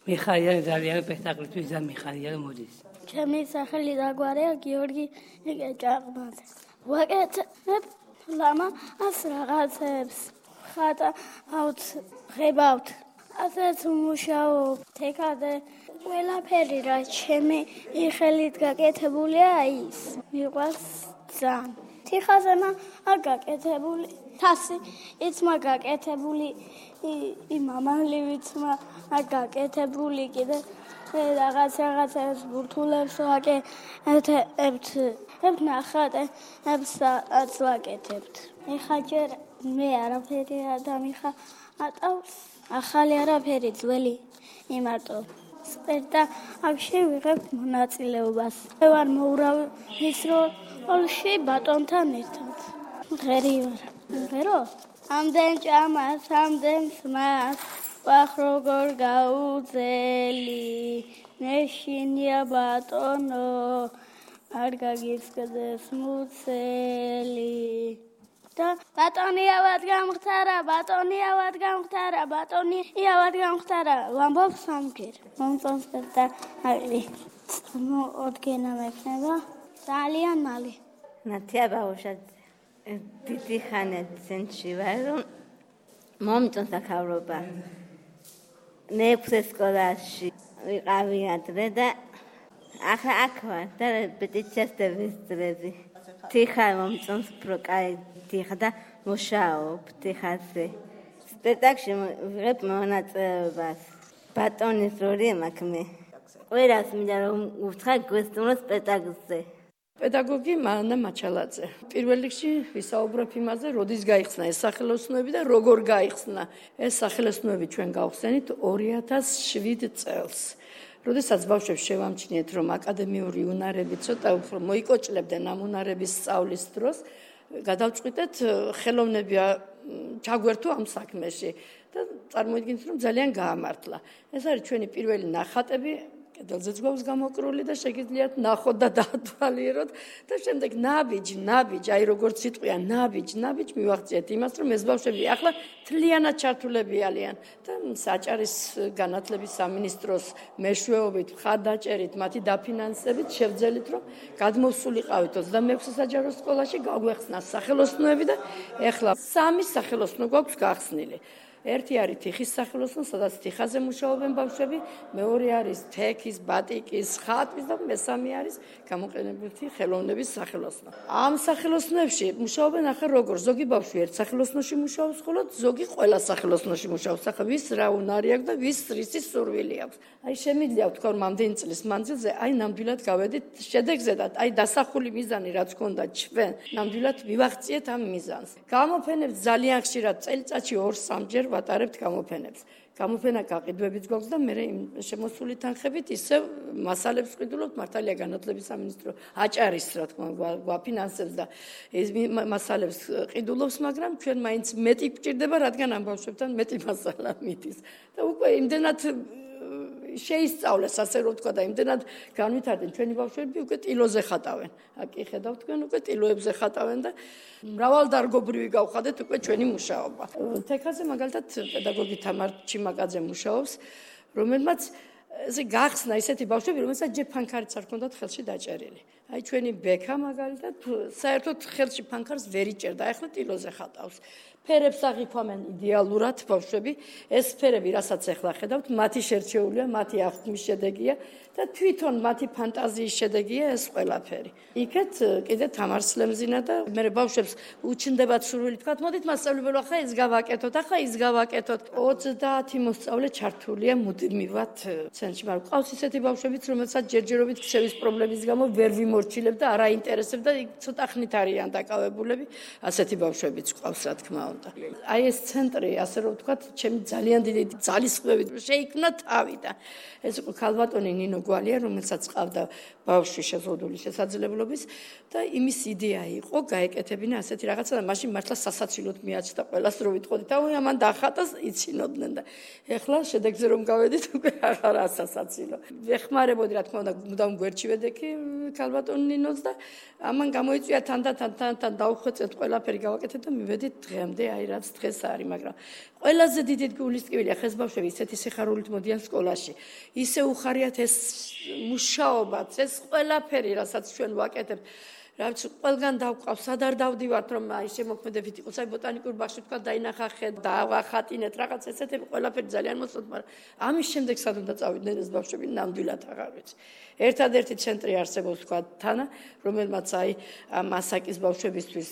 მიხარია ძალიან სპექტაკლისთვის და მიხარია რომ მოდის. ჩემი სახელი დაგვარია გიორგი ჭაყბაძე. ვაკეთებ ლამას რაღაცებს. ხატა ავწებავთ. ასეც მუშაობ. თეკადე ყველაფერი რა ჩემი ხელით გაკეთებულია ის. მიყვარს ძალიან. თიხაზე მაგაკეთებული თასი იცმა გაკეთებული იმამალივიც მაგაკეთებული კიდე რაღაცებს ბურთულებს ვაკეთებთ ნახატებს ვაკეთებთ. ეხლა ჯერ მე არაფერი და მიხატავს ახალი არაფერი ძველი იმარტო სპექტაკლში ვიღებ მონაწილეობას. მე ვარ მოურავი მის როლში ბატონთან ერთად. ღერი ვარ. ღერო? ამდენ ჭამას, ამდენ სმას, ვახ როგორ გაუძელი, ნეშინია ბატონო, არ გაგისკდეს მუცელი. და ბატონიავად გამختარა, ბატონიავად გამختარა, ბატონიავად გამختარა, ვამბობ სამგერ. მომწონს და მოდგენა მექნება ძალიან მალე. ნათია ბაუშაძე. დიდი ხანით ცენტრში ვარ, რომ მომწონს აქავრობა. მე-6 სკოლაში ვიყავი ადრე და ახლა აქ ვარ და რეპეტიციას დავისწრები. თიხა მომწონს პროკაი თიხა და მუშაობ თიხაზე. სპექტაკლში ვიღებ მონაწილეობას. ბატონის როლი მაქვს მე. ყველას მინდა რომ უთხრა გვესტუმრო სპექტაკლზე. პედაგოგი მანა მაჩალაძე. პირველ რიგში ვისაუბრებ იმაზე, როდის გაიხსნა ეს სახელოსნოები და როგორ გაიხსნა. ეს სახელოსნოები ჩვენ გავხსენით 2007 წელს. როდესაც ბავშვებს შევამჩნიეთ, რომ აკადემიური უნარები ცოტა უფრო მოიკოჭლებდნენ ამ უნარების სწავლის დროს, გადავწყვიტეთ ხელოვნები ჩაგვერთო ამ საქმეში და წარმოიდგინეთ, რომ ძალიან გაამართლა. ეს არის ჩვენი პირველი ნახატები. კედელზეც გვაქვს გამოკრული და შეგიძლიათ ნახოთ და დაათვალიეროთ და შემდეგ ნაბიჯ, აი როგორც სიტყვია ნაბიჯ მივახციეთ იმას, რომ ეს ბავშვები ახლა თლიანად ჩართულები არიან და საჭარის განათლების სამინისტროს მეშვეობით, მხარდაჭერით, მათი დაფინანსებით შევძელით, რომ გადმოვსულიყავით 26 საჯარო სკოლაში, გაგვეხსნა სახელოსნოები და ახლა 3 სახელოსნო გვაქვს გახსნილი. ერთი არის თიხის სახელოსნო, სადაც თიხაზე მუშაობენ ბავშვები, მეორე არის თექის, ბატიკის, ხატვის და მესამე არის გამოყენებითი ხელოვნების სახელოსნო. ამ სახელოსნოებში მუშაობენ ახლა როგორ ზოგი ბავშვი ერთ სახელოსნოში მუშაობს, ხოლო ზოგი ყველა სახელოსნოში მუშაობს. ახლა ვის რა უნარი აქვს და ვის რისი სურვილი აქვს. აი შემიძლია ვთქვა რომ ამდენი წლის მანძილზე აი ნამდვილად გავედით შედეგზე და აი დასახული მიზანი რაც გქონდა ჩვენ ნამდვილად მივაღწიეთ ამ მიზანს. გამოფენებს ძალიან ხშირად წელიწადში 2-3 ვატარებთ გამოფენებს. გამოფენა გაყიდვებით გვაქვს და მე შემოსული თანხებით ისევ მასალებს ვყიდულობთ მართალია განათლების სამინისტრო აჭარის რა თქმა უნდა გვაფინანსებს და ეს მასალებს ყიდულობს, მაგრამ ჩვენ მაინც მეტი გვჭირდება, რადგან ამ ბავშვებთან მეტი მასალა მიდის. და უკვე იმდენად შეისწავლეს, ასე რომ ვთქვა და იმდენად განვითარდნენ ჩვენი ბავშვები უკვე ტილოზე ხატავენ. აკი ხედავთ თქვენ უკვე ტილოებზე ხატავენ და მრავალდარგობრივი გავხადეთ უკვე ჩვენი მუშაობა. თექაზე მაგალითად პედაგოგი თამარ ჩიმაკაძე მუშაობს, რომელმაც ესე გახსნა ისეთი ბავშვები, რომელსაც ჯერ ფანქარიც არ ჰქონდათ ხელში დაჭერილი. აი ჩვენი ბექა მაგალითად საერთოდ ხელში ფანქარს ვერ იჭერდა, ახლა ტილოზე ხატავს. ფერებს აღიქვამენ იდეალურად ბავშვები, ეს ფერები, რასაც ახლა ხედავთ, მათი შერჩეულია, მათი აღთქმის შედეგია და თვითონ მათი ფანტაზიის შედეგია ეს ყველაფერი. იქეთ კიდე თამარ სლემზინა და მე ბავშვებს უჩნდებათ სურვილი, თქვათ, მოდით მასწავლებელო, ახლა ეს გავაკეთოთ, ახლა ის გავაკეთოთ. 30 მოსწავლე ჩართულია მუდმივად ცენტრში, მაგრამ ყავს ისეთი ბავშვებიც, რომელსაც ჯერჯერობით ქცევის პრობლემის გამო ვერ ვიმორჩილებ და არ აინტერესებ და ცოტა ხნით არიან დაკავებულები, ასეთი ბავშვებიც ყავს, რა თქმა უნდა. აი ეს ცენტრი, ასე რომ ვთქვათ, ჩემი ძალიან დიდი ძალისხმევით შეიქმნა თავიდან. ეს იყო ქალბატონი ნინო გვალია, რომელსაც ყავდა ბავშვი შეზღუდული შესაძლებლობის და იმის იდეა იყო გაეკეთებინა ასეთი რაღაცა და მაშინ მართლა სასაცილოდ მიაჩნდა ყველას რო ვიტყოდით, აუ ამან დახატას იცინოდნენ და ეხლა შედეგზე რომ გავედით უკვე აღარა სასაცილო. ვეხმარებოდი რა თქმა უნდა მუდამ გვერდში ვედექი ქალბატონ ნინოს და ამან გამოიწვია თან დავხვეწეთ ყველაფერი გავაკეთეთ და მივედით დღემდე აი რაც დღეს არის, მაგრამ ყველაზე დიდი გულისწყევია ხეს ბავშვები ისეთი სიხარულით მოდიან სკოლაში. ისე უხარიათ ეს მუშაობაც, ეს ყველაფერი, რასაც ჩვენ ვაკეთებთ. რაც ყველგან დავყავს, სად არ დავდივართ, რომ აი შემოქმედებით იყოს, აი ბოტანიკურ ბაღში თქვა დაინახა ხე, დავახატინეთ რაღაც ესეთები ყველაფერი ძალიან მოსწონთ, მაგრამ ამის შემდეგ სად უნდა წავიდნენ ეს ბავშვები ნამდვილად აღარ ვიცი. ერთადერთი ცენტრი არსებობს თქვა თანა, რომელმაც აი მასაკის ბავშვებისთვის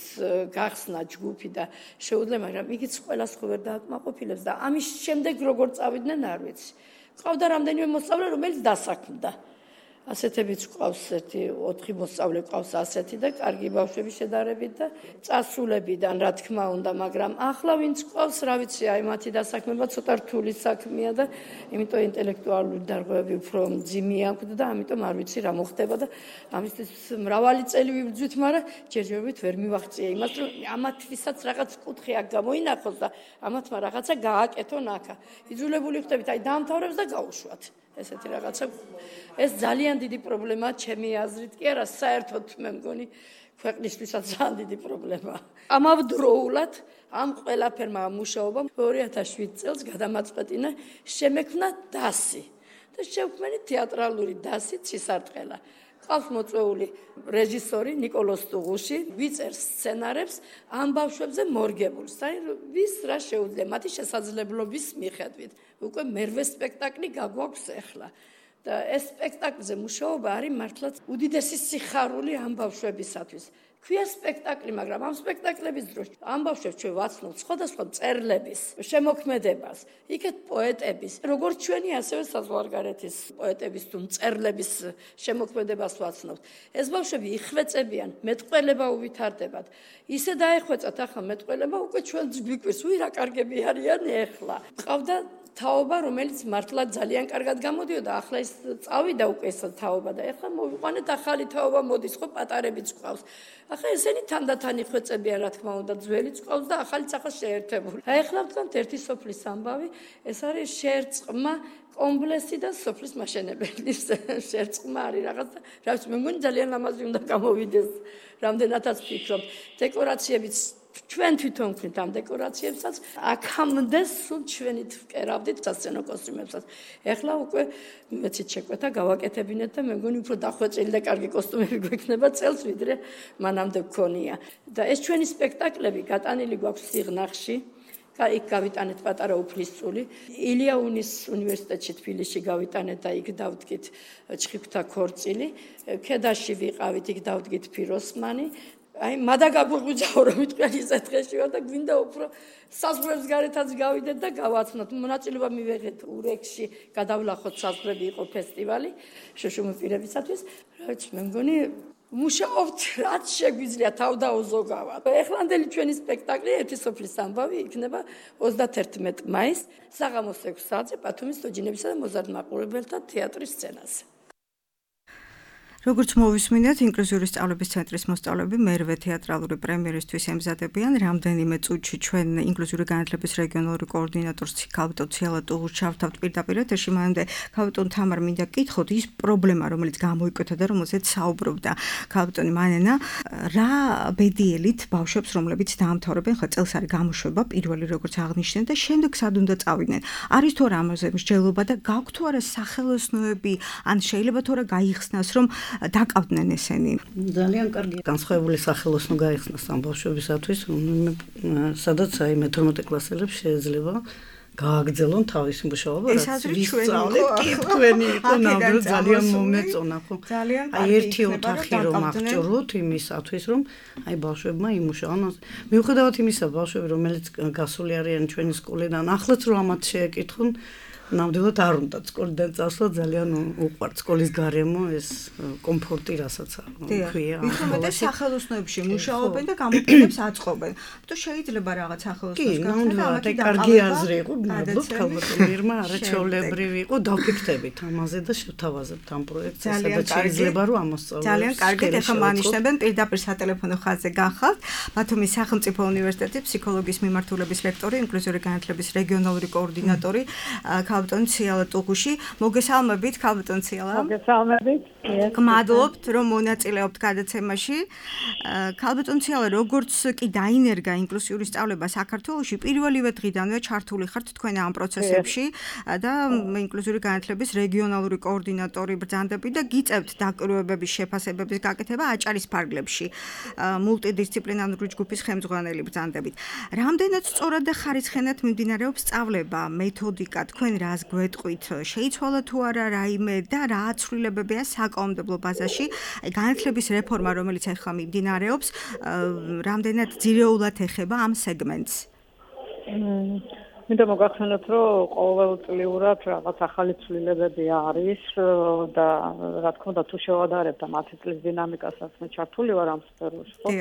გახსნა ჯგუფი და შეუძლია, მაგრამ იგიც ყველას ხო ვერ დააკმაყოფილებს და ამის შემდეგ როგორ წავიდნენ არ ვიცი. ყავდა რამდენიმე მოსწავლე, რომელიც დასაქმდა. ასეთებიც ყავს ერთი 4 მოსწავლე ყავს ასეთი და კარგი ბავშვები შედარებით და წასულებიდან რა თქმა უნდა, მაგრამ ახლა ვინც ყავს, რა ვიცი, აი მათი დასაქმება ცოტა რთული საქმეა და იმიტომ ინტელექტუალური დარღვევები უფრო მძიმე აქვს და ამიტომ არ ვიცი რა მოხდება და ამისთვის მრავალი წელი ვიბრძვით, მაგრამ ჯერჯერობით ვერ მივაღწია იმას, რომ ამათვისაც რაღაც კუთხე აქ გამოინახოს და ამათმა რაღაცა გააკეთონ აქა. იძულებული ხდებით, აი დაამთავრებს და გაუშვათ. ესეთი რაღაცა ეს ძალიან დიდი პრობლემაა ჩემი აზრით კი არა, საერთოდ მე მგონი ქვეყნისთვისაც ძალიან დიდი პრობლემაა. ამავდროულად ამ ყველაფერმა მუშაობამ 2007 წელს გადამაწყვეტინა შემექმნა დასი და შევქმნით თეატრალური დასი ცისარტყელა. ყავს მოწვეული რეჟისორი ნიკოლოზ ტუღუში, ვიწერს სცენარებს ამ ბავშვებზე მორგებულს. აი ვის რა შეუძლია მათი შესაძლებლობის მიხედვით. უკვე მერვე სპექტაკლი გაგვაქვს ახლა. და ეს სპექტაკლზე მუშაობა არის მართლაც უდიდესი სიხარული ამ ბავშვებისათვის. ქვია სპექტაკლი, მაგრამ ამ სპექტაკლების დროს ამ ბავშვებს ჩვენ ვაცნობთ სხვადასხვა მწერლების შემოქმედებას, იქეთ პოეტების, როგორც ჩვენი ასევე საზღვარგარეთის პოეტების თუ მწერლების შემოქმედებას ვაცნობთ. ეს ბავშვები იხვეწებიან, მეტყველება უვითარდებათ. ისე დაეხვეწათ ახლა მეტყველება უკვე ჩვენ გვიკვირს, უი რა კარგები არიან ახლა. ყავდა თაობა, რომელიც მართლა ძალიან კარგად გამოდიოდა, ახლა ის წავიდა უკვე ეს თაობა და ახლა მოვიყვანეთ ახალი თაობა მოდის, ხო პატარებიც ყავს. ახლა ესენი თანდათან იხვეწებიან, რა თქმა უნდა, ძველიც ყავს და ახალიც ახლა შეერთებული. აი ახლა ვთქვათ ერთი სოფლის ამბავი, ეს არის შერწყმა კომპლექსი და სოფლის მაშენებელი შერწყმა არის რაღაც და რა ვიცი, მე მგონი ძალიან ლამაზი უნდა გამოვიდეს, რამდენადაც ვფიქრობ. დეკორაციებიც ჩვენ თვითონ ვქნით ამ დეკორაციებსაც, აქამდე სულ ჩვენით ვკერავდით სასცენო კოსტიუმებსაც. ეხლა უკვე მეცით შეკვეთა გავაკეთებინეთ და მე მგონი უფრო დახვეწილი და კარგი კოსტუმები გვექნება წელს, ვიდრე მანამდე გქონია. და ეს ჩვენი სპექტაკლები გატანილი გვაქვს სიღნაღში, იქ გავიტანეთ პატარა უფლისწული. ილიაუნის უნივერსიტეტში თბილისში გავიტანეთ და იქ დავდგით ჩხიფთა ქორწილი. ქედაში ვიყავით, იქ დავდგით ფიროსმანი. აი, მადა გაგვიღვიძაო რომ მიტყვი ისეთ დღეში ვარ და გვინდა უფრო საზღვრებს გარეთაც გავიდეთ და გავაცნოთ. მონაწილეობა მივიღეთ ურექსში, გადავლახოთ საზღვრები იყო ფესტივალი შუშუმი პირებისათვის. რაც მე მგონი მუშაობთ რაც შეგვიძლია თავდაუზოგავად. ეხლანდელი ჩვენი სპექტაკლი ერთი სოფლის ამბავი იქნება 31 მაისს საღამოს 6 საათზე ბათუმის თოჯინებისა და მოზარდ-მაყურებელთა თეატრის სცენაზე. როგორც მოვისმინეთ, ინკლუზიური სწავლების ცენტრის მოსწავლეები მერვე თეატრალური პრემიერისთვის ემზადებიან. რამდენიმე წუთში ჩვენ ინკლუზიური განათლების რეგიონალური კოორდინატორს ქალბატონ ციალატუღუს ჩავთავთ პირდაპირ ეთერში. მანამდე ქალბატონ თამარ მინდა გითხოთ ის პრობლემა, რომელიც გამოიკვეთა და რომელზეც საუბრობდა ქალბატონი მანენა, რა ბედიელით ბავშვებს, რომლებიც დაამთავრებენ, ხო წელს არის გამოშვება პირველი როგორც აღნიშნეთ და შემდეგ სად უნდა წავიდნენ. არის თუ არა ამაზე მსჯელობა და გაქვთ თუ არა სახელოსნოები, ან შეიძლება თუ არა გაიხსნას, რომ დაკავდნენ ესენი. ძალიან კარგი განსხვავებული სახელოსნო გაიხსნას ამ ბავშვებისათვის, სადაც აი მე-12 კლასელებს შეიძლება გააგრძელონ თავისი მუშაობა, ეს აზრი ჩვენი იყო, ნამდვილად ძალიან მომეწონა, ხო? აი ერთი ოთახი რომ აღჭურვოთ იმისათვის, რომ აი ბავშვებმა იმუშაონ. მიუხედავად იმისა, ბავშვები, რომელიც გასული არიან ჩვენი სკოლიდან, ახლაც რომ ამათ შეეკითხონ, ნამდვილად არ უნდა სკოლიდან წასვლა, ძალიან უყვართ სკოლის გარემო ეს კომფორტი, რასაც ქვია. ვიხმედე სახელოსნოებში მუშაობენ და გამოფენებს აწყობენ. თუ შეიძლება რაღაც სახელოსნოს გახსნა, ამათი კარგი აზრი იყო, მადლობთ ქალბატონ მირმა, არაჩვეულებრივი იყო, დავფიქრდებით ამაზე და შევთავაზებთ ამ პროექტს, სადაც შეიძლება რომ ამოსწავლოს. ძალიან კარგით, ახლა მანიშნებენ პირდაპირ სატელეფონო ხაზზე გახალთ. ბათუმის სახელმწიფო უნივერსიტეტის ფსიქოლოგიის მიმართულების ლექტორი, ინკლუზიური განათლების რეგიონალური კოორდინატორი ქალბატონ ციალატუღუში. მოგესალმებით ქალბატონ ციალა. მოგესალმებით. გმადლობთ რომ მონაწილეობთ გადაცემაში. ქალბატონ ციალა, როგორც კი დაინერგა ინკლუზიური სწავლება საქართველოში, პირველივე დღიდანვე ჩართული ხართ თქვენ ამ პროცესებში და ინკლუზიური განათლების რეგიონალური კოორდინატორი ბრძანდებით და გიწევთ დაკვირვებების შეფასებების გაკეთება აჭარის ფარგლებში. მულტიდისციპლინარული ჯგუფის ხელმძღვანელი ბრძანდებით. რამდენად სწორად და ხარისხენად მიმდინარეობს სწავლება, მეთოდიკა, თქვენ რას გვეტყვით, შეიცვალა თუ არა რაიმე და რა აცვლილებებია საკანონმდებლო ბაზაში, განათლების რეფორმა, რომელიც ახლა მიმდინარეობს, რამდენად ძირეულად ეხება ამ სეგმენტს? მინდა მოგახსენოთ, რომ ყოველწლიურად რაღაც ახალი ცვლილებები არის და რა თქმა უნდა, თუ შევადარებთ ამ 10 წლის დინამიკასაც, მე ჩართული ვარ ამ სფეროში, ხო?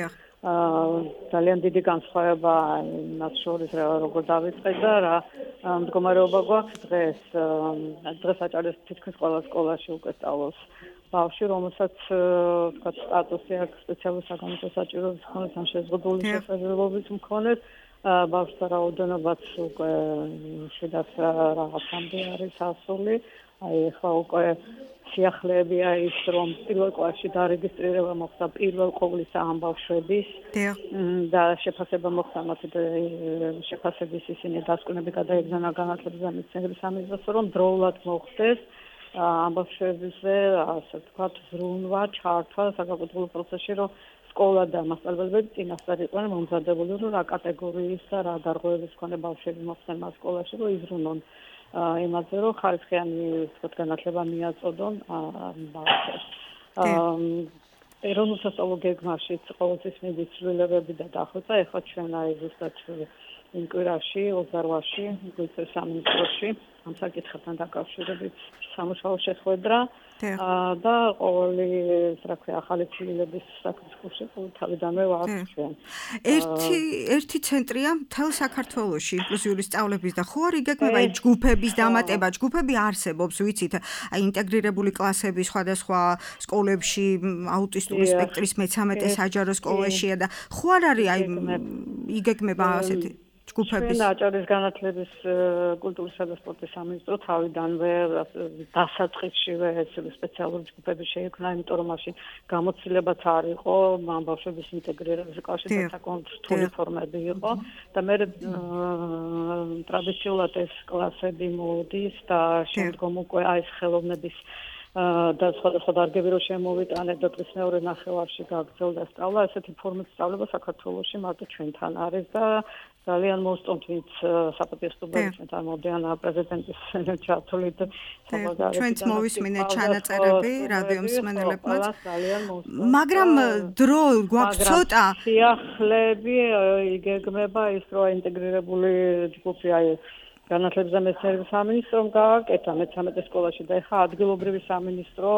ძალიან დიდი განსხვავება იმას შორის, როგორ დავიწყე და რა მდგომარეობა გვაქვს დღეს. დღეს აჭარის თითქმის ყველა სკოლაში უკვე სწავლობს ბავშვი, რომელსაც თქვა სტატუსი აქვს სპეციალური საგამოწმო საჭიროების მქონე ან შეზღუდული შესაძლებლობის მქონე. ბავშვთა რაოდენობაც უკვე შედაც რაღაცამდე არის ასული. აი ახლა უკვე სიახლეები არის, რომ პირველ კლასში დარეგისტრირება მოხდა პირველ ყოვლისა ამ ბავშვების და შეფასება მოხდა მათი შეფასების ისინი დასკვნები გადაეგზავნა განათლების და მეცნიერების სამინისტროს, რომ დროულად მოხდეს ამ ბავშვებზე, ასე ვთქვათ, ზრუნვა, ჩართვა საკანონმდებლო პროცესში, რომ სკოლა და მასწავლებლები წინასწარ იყვნენ მომზადებული, რომ რა კატეგორიის და რა დარღვევების მქონე ბავშვები მოხდნენ მას სკოლაში, რომ იზრუნონ იმაზე, რომ ხარისხიანი განათლება მიაწოდონ ბავშვებს. ეროვნულ სასწავლო გეგმაშიც ყოველთვის მიდის ცვლილებები და დახვეწა, ეხლა ჩვენ აი ზუსტად იმ კვირაში 28-ში გვიწევს სამინისტროში ამ საკითხებთან დაკავშირებით სამუშაო შეხვედრა და ყოველი რა ქვია ახალი ცვლილების საკითხში თავიდანვე ვართ ჩვენ. ერთი ცენტრია მთელ საქართველოში ინკლუზიური სწავლების და ხო არ იგეგმება ჯგუფების დამატება, ჯგუფები არსებობს, ვიცით, აი ინტეგრირებული კლასები სხვადასხვა სკოლებში, აუტისტური სპექტრის მე-13 საჯარო სკოლაშია და ხო არ არის აი იგეგმება ასეთი ჯგუფების. ჩვენ აჭარის განათლების კულტურისა და სპორტის სამინისტრო თავიდანვე დასაწყისშივე სპეციალური ჯგუფები შეიქმნა, იმიტომ რომ მაშინ გამოცდილებაც არ იყო ამ ბავშვების ინტეგრირების კლასში საკმაოდ რთული ფორმები იყო და მე ტრადიციულად ეს კლასები მოდის და შემდგომ უკვე აი ეს ხელოვნების და სხვადასხვა დარგები რო შემოვიტანეთ და წლის მეორე ნახევარში გაგრძელდა სწავლა, ესეთი ფორმით სწავლება საქართველოში მარტო ჩვენთან არის და ძალიან მოსწონთ ვინც საპატიოსტუბები ჩვენთან მოდიან პრეზიდენტის ჩართულით ჩვენც მოვისმინეთ ჩანაწერები რადიო მსმენელებმაც მაგრამ დრო გვაქვს ცოტა სიახლეები იგეგმება ის რომ ინტეგრირებული ჯგუფი აი განათლებისა მეცნიერების სამინისტრომ გააკეთა მე-13 სკოლაში და ეხა ადგილობრივი სამინისტრო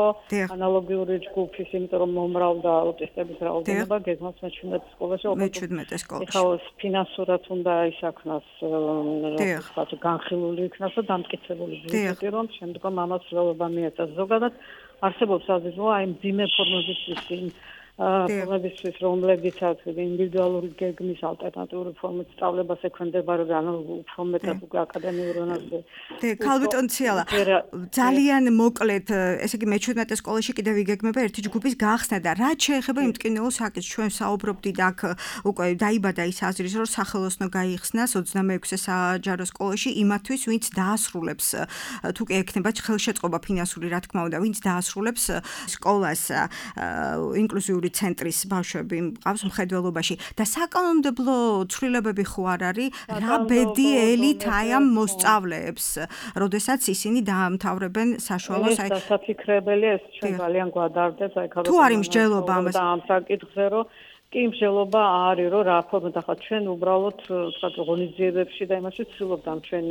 ანალოგიური ჯგუფის, იმიტომ რომ მომრავლდა აუტისტების რაოდენობა გეგმავს მე-17 სკოლაში. მე-17 სკოლაში. ეხა ფინანსურად უნდა ისაქნას, რაღაც განხილული იქნას და დამტკიცებული ბიუჯეტი, რომ შემდგომ ამას რეალობა მიეწას. ზოგადად არსებობს აზრი, აი მძიმე ფორმებისთვის ფორმებისთვის რომლებიცაც ინდივიდუალური გეგმის ალტერნატიული ფორმით სწავლებას ექვემდებარება ანუ უფრო მეტად უკვე აკადემიურ ენაზე. ქალბატონ ციალა ძალიან მოკლედ ესე იგი მე-17 სკოლაში კიდევ იგეგმება ერთი ჯგუფის გახსნა და რაც შეეხება იმ ტკინეულ საკითხს ჩვენ საუბრობდით აქ უკვე დაიბადა ის აზრი რომ სახელოსნო გაიხსნას 26 საჯარო სკოლაში იმათთვის ვინც დაასრულებს თუ კი ექნება ხელშეწყობა ფინანსური რა თქმა უნდა ვინც დაასრულებს სკოლას ინკლუზიური ცენტრის ბავშვები მყავს მხედველობაში და საკანონმდებლო ცვლილებები ხო არ არის რა ბედი ელით აი ამ მოსწავლეებს როდესაც ისინი დაამთავრებენ საშუალო დასაფიქრებელია ეს ჩვენ ძალიან გვადარდებს აი თუ არის მსჯელობა ამას ამ საკითხზე რომ კი მსჯელობა არის რომ რა ფორმით ახლა ჩვენ უბრალოდ თქვა ღონისძიებებში და იმაში ვცდილობთ ამ ჩვენ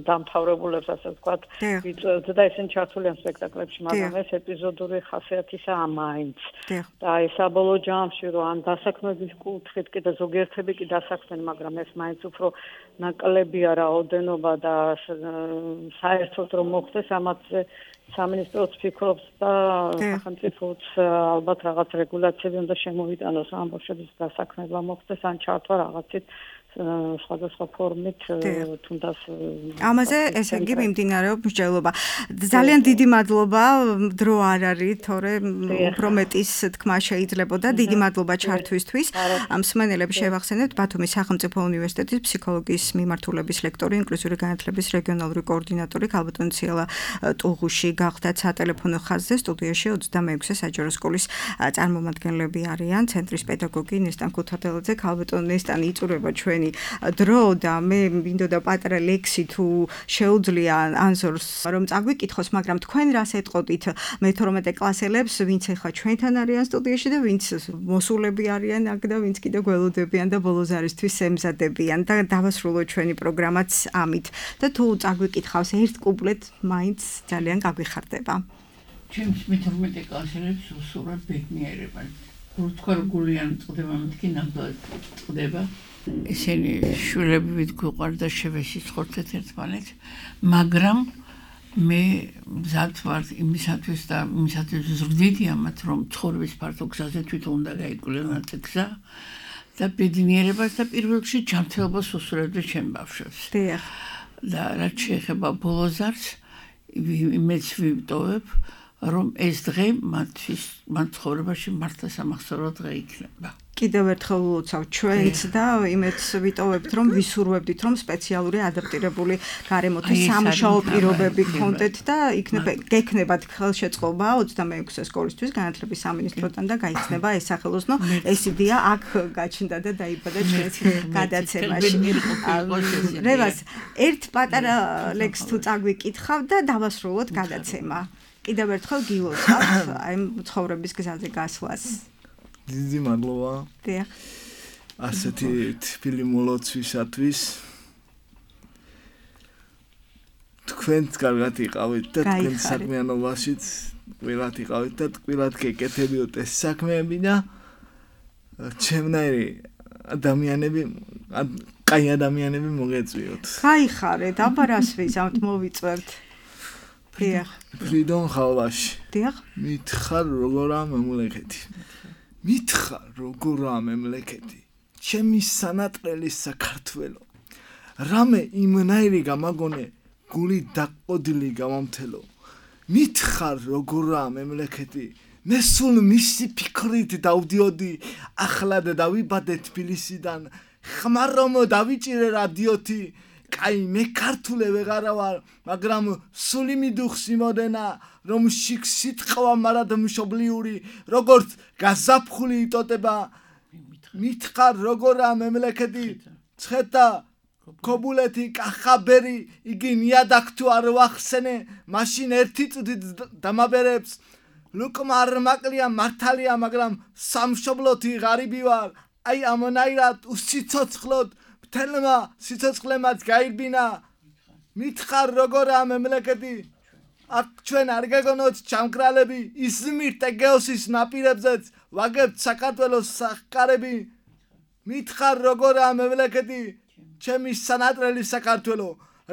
დამთავრებულებს ასე ვთქვათ ვიწევთ და ესენ ჩართულიან სპექტაკლებში მაგრამ ეს ეპიზოდური ხასიათისაა მაინც და აი საბოლოო ჯამში რომ ამ დასაქმების კუთხით კი და ზოგიერთები კი დასაქმენ მაგრამ ეს მაინც უფრო ნაკლებია რაოდენობა და საერთოდ რომ მოხდეს ამათზე სამინისტროც ფიქრობს და სახელმწიფოც ალბათ რაღაც რეგულაციები უნდა შემოვიტანოს ამ ბავშვების დასაქმება მოხდეს ან ჩართვა რაღაცით სხვადასხვა ფორმით თუნდაც ამაზე ესე იგი მიმდინარეობს მსჯელობა. ძალიან დიდი მადლობა დრო არ არის თორე უფრო მეტის თქმა შეიძლებოდა დიდი მადლობა ჩართვისთვის. მსმენელებს შევახსენებთ ბათუმის სახელმწიფო უნივერსიტეტის ფსიქოლოგიის მიმართულების ლექტორი ინკლუზიური განათლების რეგიონალური კოორდინატორი ქალბატონ ციალა ტუღუში გახდათ სატელეფონო ხაზზე სტუდიაში 26 საჯარო სკოლის წარმომადგენლები არიან ცენტრის პედაგოგი ნესტან ქუთათელაძე ქალბატონ ნესტანი იწურება ჩვენი დრო და მე მინდოდა პატარა ლექსი თუ შეუძლია ანსორს რომ წაგვიკითხოს, მაგრამ თქვენ რას ეტყოდით მე-12 კლასელებს, ვინც ახლა ჩვენთან არიან სტუდიაში და ვინც მოსულები არიან აქ და ვინც კიდე გველოდებიან და ბოლო ზარისთვის ემზადებიან და დავასრულოთ ჩვენი პროგრამაც ამით და თუ წაგვიკითხავს ერთ კუპლეტ მაინც ძალიან გაგვიხარდება. ჩემს მე-12 კლასელებს უსურვებ ბედნიერება. თქვენ გულიან წდება მეთქი ნამდვილად წდება. ესენი შვილები ვით გვიყვარდა შევესიცხოთ ერთმანეთს, მაგრამ მე მზად ვარ იმისათვის და იმისათვის ზრდიდი ამათ რომ ცხოვრების ფართო გზაზე თვითონ უნდა გაიკვლიო ეს გზა და ბედნიერებას და პირველ რიგში ჯანმრთელობას უსურვებდი ჩემ ბავშვებს. დიახ. და რაც შეეხება ბოლო ზარს იმეც ვიტოვებ რომ ეს დღე მათ ცხოვრებაში მართლა სამახსოვრო დღე იქნება. კიდევ ერთხელ ულოცავ ჩვენც და იმედს ვიტოვებთ რომ ვისურვებდით რომ სპეციალური ადაპტირებული გარემოთი სამუშაო პირობები გქონდეთ და გექნებათ ხელშეწყობა 26 სკოლისთვის განათლების სამინისტროდან და გაიხსნება ეს სახელოსნო ეს იდეა აქ გაჩნდა და დაიბადა ჩვენს გადაცემაში. რევას ერთ პატარა ლექს თუ წაგვიკითხავ და დავასრულოთ გადაცემა. კიდევ ერთხელ გილოცავთ აი ცხოვრების გზაზე გასვლას. დიდი მადლობა. დიახ. ასეთი თბილი მოლოცვისათვის. თქვენც კარგად იყავით და თქვენ საქმიანობაშიც ყველად იყავით და ყველად გეკეთებიოთ ეს საქმეები და ჩემნაირი ადამიანები კაი ადამიანები მოგეწვიოთ. გაიხარეთ, აბა რას ვიზამთ მოვიწევთ. დიახ. ფრიდონ ხალვაში. დიახ. მითხარ როგორა მემლეკეთი. მითხარ როგორა მემლეკეთი. ჩემი სანატრელი საქართველო. რამე იმნაირი გამაგონე გული დაყოდილი გამამთელო. მითხარ როგორა მემლეკეთი. მე სულ მისი ფიქრით დავდიოდი ახლად დავიბადე თბილისიდან. ხმარომ დავიჭირე რადიოთი. კაი მე ქართულე ვეღარა ვარ, მაგრამ სული მიდუხს იმოდენა, რომ შიქ სიტყვა მარად მშობლიური, როგორც გაზაფხული იტოტება. მითხარ როგორა მემლეკეთი, ცხეთა ქობულეთი კახაბერი იგი ნიადაგ თუ არ ვახსენე მაშინ ერთი წუთით დამაბერებს ლუკმა არ მაკლია მართალია მაგრამ სამშობლოთი ღარიბი ვარ აი ამონაირად უსიცოცხლოდ მთელმა სიცოცხლემაც გაირბინა მითხარ როგორა მემლეკეთი აქ ჩვენ არ გეგონოთ ჩამკრალები ისმირთ ეგეოსის ნაპირებზეც ვაგებთ საქართველოს სახკარები მითხარ როგორა მემლეკეთი ჩემი სანატრელი საქართველო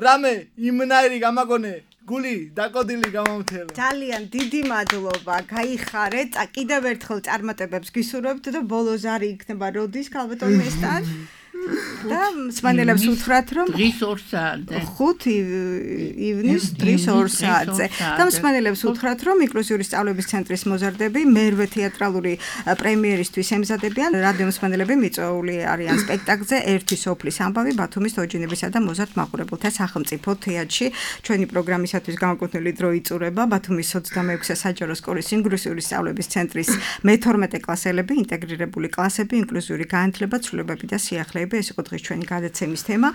რამე იმნაირი გამაგონე გული დაკოდილი გამომთელა ძალიან დიდი მადლობა გაიხარეთ კიდევ ერთხელ წარმატებებს გისურვებთ და ბოლოს არი იქნება როდის ქალბატონ მესტან და მსმენელებს უთხრათ რომ დღის 2 საათზე 5 ივნის დღის 2 საათზე და მსმენელებს უთხრათ რომ ინკლუზიური სწავლების ცენტრის მოზარდები მერვე თეატრალური პრემიერისთვის ემზადებიან რადიო მსმენელები მიწვეული არიან სპექტაკლზე ერთი სოფლის ამბავი ბათუმის თოჯინებისა და მოზარდ მაყურებელთა სახელმწიფო თეატრში ჩვენი პროგრამისათვის განკუთვნილი დრო იწურება ბათუმის 26-ე საჯარო სკოლის ინკლუზიური სწავლების ცენტრის მე-12 კლასელები ინტეგრირებული კლასები ინკლუზიური განათლება ცვლილებები და სიახლეები ეს იყო დღეს ჩვენი გადაცემის თემა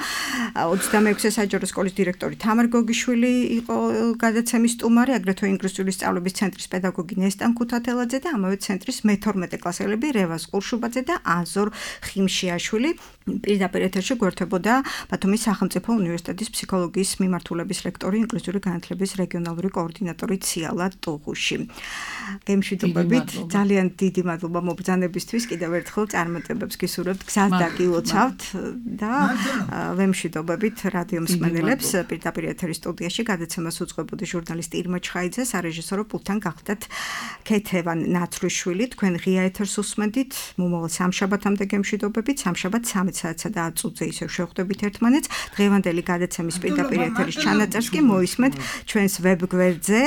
26-ე საჯარო სკოლის დირექტორი თამარ გოგიშვილი იყო გადაცემის სტუმარი აგრეთვე ინკლუზიური სწავლების ცენტრის პედაგოგი ნესტან ქუთათელაძე და ამავე ცენტრის მე-12 კლასელები რევაზ ყურშუბაძე და აზორ ხიმშიაშვილი პირდაპირ ეთერში გვერდებოდა ბათუმის სახელმწიფო უნივერსიტეტის ფსიქოლოგიის მიმართულების ლექტორი ინკლუზიური განათლების რეგიონალური კოორდინატორი ციალა ტუღუში გემშვიდობებით ძალიან დიდი მადლობა მობრძანებისთვის კიდევ ერთხელ წარმატებებს გისურვებთ გზას დაგილოცავთ და ვემშვიდობებით რადიო მსმენელებს პირდაპირ ეთერის სტუდიაში გადაცემას უძღვებოდი ჟურნალისტი ირმა ჩხაიძე სარეჟისორო პულტთან გახდათ ქეთევან ნაცრუშვილი თქვენ ღია ეთერს უსმენდით მომავალ სამშაბათამდე გემშვიდობებით სამშაბათ 13 საათსა და 10 წუთზე ისევ შევხვდებით ერთმანეთს დღევანდელი გადაცემის პირდაპირ ეთერის ჩანაწერს კი მოისმენთ ჩვენს ვებგვერდზე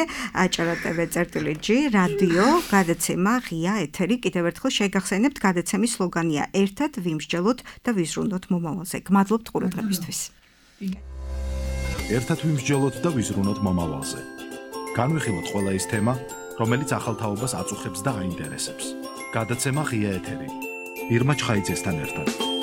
acara.tv/g რადიო გადაცემა ღია ეთერი კიდევ ერთხელ შეგახსენებთ გადაცემის სლოგანია ერთად ვიმსჯელოთ და ვიზრუნოთ მომავალზე გმადლობთ ყურადღებისთვის ერთად ვიმსჯელოთ და ვიზრუნოთ მომავალზე განვიხილოთ ყველა ის თემა რომელიც ახალ თაობას აწუხებს და აინტერესებს გადაცემა ღია ეთერი ირმა ჩხაიძესთან ერთად